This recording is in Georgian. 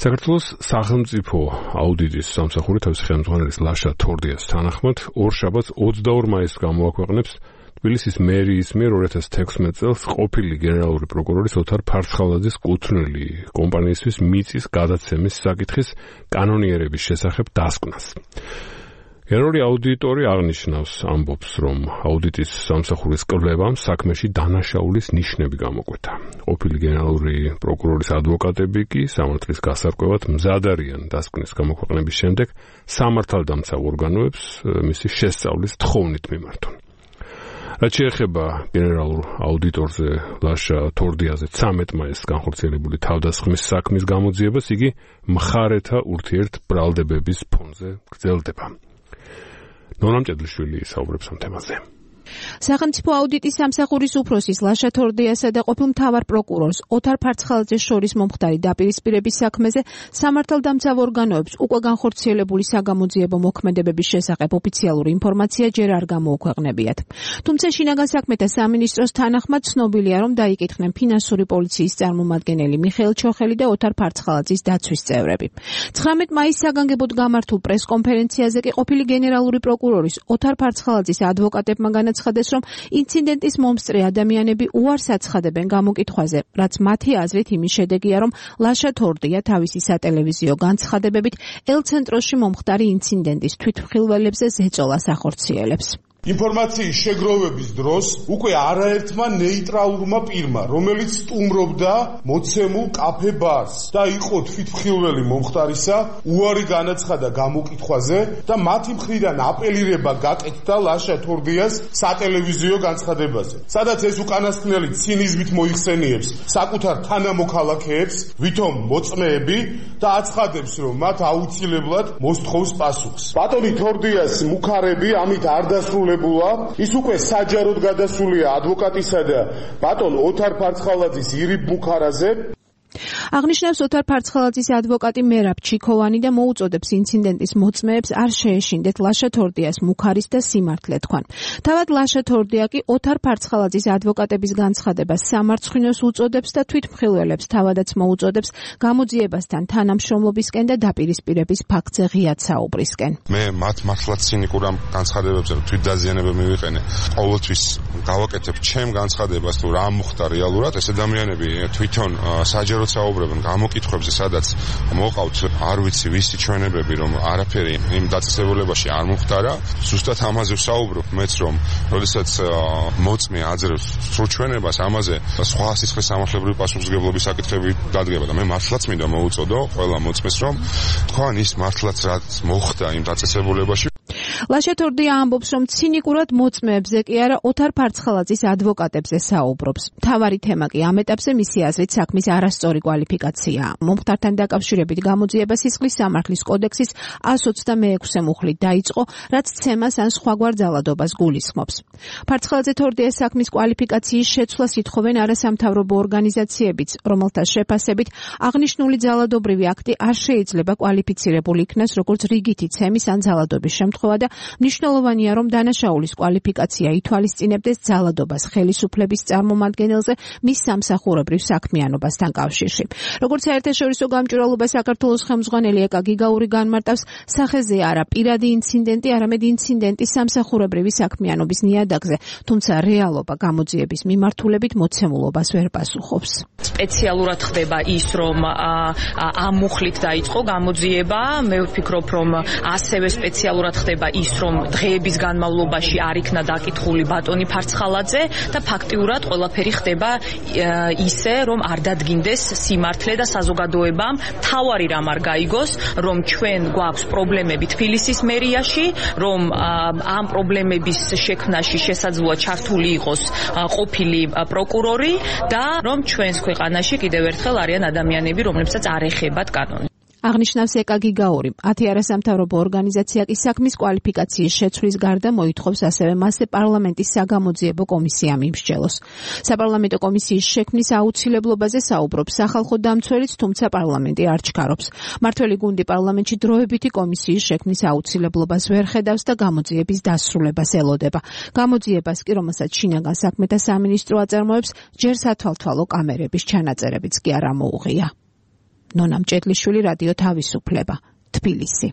საქართველოს სახელმწიფო აუდიტის სამსახური თავისი ხელმძღვანელის ლაშა თორდიას თანახმად ორშაბათს 22 მაისს გამოაქვეყნებს თბილისის მერიის მიერ 2016 წელს ყოფილი გენერალური პროკურორის ოთარ ფარცხალაძის კუთვნილი კომპანიისთვის მიწის გადაცემის საკითხის კანონიერების შესახებ დასკვნას. გენერალური აუდიტორი აღნიშნავს, ამბობს, რომ აუდიტის სამსახურის კვლევამ საქმეში დანაშაულის ნიშნები გამოკვეთა. ყოფილი გენერალური პროკურორის ადვოკატები კი სამართლის გასარკვევად მზად არიან დასკვნის გამოქვეყნების შემდეგ სამართალდამცავ ორგანოებს მისი შესწავლის თხოვნით მიმართონ. რაც შეეხება გენერალურ აუდიტორზე ლაშა თორდიაზე 13 მაისს განხორციელებული თავდასხმის საქმის გამოძიებას იგი მხარეთა ურთიერთბრალდებების ფონზე გრძელდება. ნორამ ჭედლიშვილი საუბრობს ამ თემაზე. სახელმწიფო აუდიტის სამსახურის უფროსის ლაშა თორდიასა და ყოფილ მთავარ პროკურორს ოთარ ფარცხალაძეს შორის მომხდარი დაპირისპირების საქმეზე სამართალდამცავ ორგანოებს უკვე განხორციელებული საგამოძიებო მოქმედებების შესახებ ოფიციალური ინფორმაცია ჯერ არ გამოუქვეყნებიათ. თუმცა შინაგან საქმეთა სამინისტროს თანახმად ცნობილია, რომ დაიკითხნენ ფინანსური პოლიციის წარმომადგენელი მიხეილ ჩოხელი და ოთარ ფარცხალაძის დაცვის წევრები. 19 მაისს საგანგებოდ გამართულ პრესკონფერენციაზე კი ყოფილი გენერალური პროკურორის ოთარ ფარცხალაძის ადვოკატებმა განაცხადეს, რომ ინციდენტის მომსწრე ადამიანები უარს აცხადებენ გამოკითხვაზე, რაც მათი აზრით იმის შედეგია, რომ ლაშა თორდია თავისი სატელევიზიო განცხადებებით ელცენტროში მომხდარი ინციდენტის თვითმხილველებზე ზეწოლას ახორციელებს. ინფორმაციის შეგროვების დროს უკვე არაერთმა ნეიტრალურმა პირმა, რომელიც სტუმრობდა მოცემულ კაფე ბარს და იყო თვითმხილველი მომხდარისა, უარი განაცხადა გამოკითხვაზე და მათი მხრიდან აპელირება გაკეთდა ლაშა თორდიას სატელევიზიო განცხადებაზე. სადაც ეს უკანასკნელი ცინიზმით მოიხსენიებს საკუთარ თანამოქალაქეებს, ვითომ მოწმეები და აცხადებს, რომ მათ აუცილებლად მოსთხოვს პასუხს. ბატონი თორდიას მუქარები ამით არ დასრულებულა, ის უკვე საჯაროდ გადასულია ადვოკატისა და ბატონ ოთარ ფარცხალაძის ირიბ მუქარაზე. აღნიშნავს ოთარ ფარცხალაძის ადვოკატი მერაბ ჩიქოვანი და მოუწოდებს ინციდენტის მოწმეებს არ შეეშინდეთ ლაშა თორდიას მუქარის და სიმართლე თქვან. თავად ლაშა თორდია კი ოთარ ფარცხალაძის ადვოკატების განცხადებას სამარცხვინოს უწოდებს და თვითმხილველებს თავადაც მოუწოდებს გამოძიებასთან თანამშრომლობისკენ და დაპირისპირების ფაქტზე ღიად საუბრისკენ. მე მათ მართლაც ცინიკურ ამ განცხადებებზე თვითდაზიანება მივიყენე. ყოველთვის გავაკეთებ ჩემ განცხადებას თუ რა მოხდა რეალურად, ეს ადამიანები თვითონ საჯარო საუბრობენ გამოკითხვებზე, სადაც მოყავთ არ ვიცი ვისი ჩვენებები, რომ არაფერი იმ დაწესებულებაში არ მომხდარა. ზუსტად ამაზე ვსაუბრობ მეც, რომ როდესაც მოწმე აძლევს სრულ ჩვენებას, ამაზე სხვა სიცხეს სამართლებრივი პასუხისმგებლობის საკითხები დადგება და მე მართლაც მინდა მოუწოდო ყველა მოწმეს, რომ თქვენ ის მართლაც რაც მოხდა იმ დაწესებულებაში. ლაშა თორდია ამბობს, რომ ცინიკურად მოწმეებზე კი არა ოთარ ფარცხალაძის ადვოკატებზე საუბრობს. მთავარი თემა კი ამ ეტაპზე მისი აზრით საქმის არასწორი კვალიფიკაციაა. მომხდართან დაკავშირებით გამოძიება სისხლის სამართლის კოდექსის 126 მუხლით დაიწყო, რაც ცემას ან სხვაგვარ ძალადობას გულისხმობს. ფარცხალაძე თორდიას საქმის კვალიფიკაციის შეცვლას ითხოვენ არასამთავრობო ორგანიზაციებიც, რომელთა შეფასებით აღნიშნული ძალადობრივი აქტი არ შეიძლება კვალიფიცირებული იქნას როგორც რიგითი ცემის ან ძალადობის შემთხვევა და მნიშვნელოვანია, რომ დანაშაულის კვალიფიკაცია ითვალისწინებდეს ძალადობას ხელისუფლების წარმომადგენელზე მის სამსახურებრივ საქმიანობასთან კავშირში. როგორც საერთაშორისო გამჭვირვალობა საქართველოს ხელმძღვანელი ეკა გიგაური განმარტავს, სახეზე არა პირადი ინციდენტი, არამედ ინციდენტის სამსახურებრივი საქმიანობის ნიადაგზე, თუმცა რეალობა გამოძიების მიმართულებით მოცემულობას ვერ პასუხობს. სპეციალურად ხდება ის, რომ ამ მუხლით დაიწყო გამოძიება, მე ვფიქრობ, რომ ასევე სპეციალურად ხდება ის, რომ დღეების განმავლობაში არ იქნა დაკითხული ბატონი ფარცხალაძე და ფაქტიურად ყველაფერი ხდება ისე, რომ არ დადგინდეს სიმართლე და საზოგადოებამ თავარი რამ არ გაიგოს, რომ ჩვენ გვაქვს პრობლემები თბილისის მერიაში, რომ ამ პრობლემების შექმნაში შესაძლოა ჩართული იყოს ყოფილი პროკურორი და რომ ჩვენს ქვეყანაში კიდევ ერთხელ არიან ადამიანები, რომლებსაც არ ეხებათ კანონი. აღნიშნავს ეკა გიგაური. 10 არასამთავრობო ორგანიზაცია კი საქმის კვალიფიკაციის შეცვლის გარდა მოითხოვს ასევე მასზე პარლამენტის საგამოძიებო კომისია მიმსჯელოს. საპარლამენტო კომისიის შექმნის აუცილებლობაზე საუბრობს სახალხო დამცველიც, თუმცა პარლამენტი არ ჩქარობს. მმართველი გუნდი პარლამენტში დროებითი კომისიის შექმნის აუცილებლობას ვერ ხედავს და გამოძიების დასრულებას ელოდება. გამოძიებას კი, რომელსაც შინაგან საქმეთა სამინისტრო აწარმოებს, ჯერ სათვალთვალო კამერების ჩანაწერებიც კი არ ამოუღია. ნონა მჭედლიშვილი, რადიო თავისუფლება, თბილისი.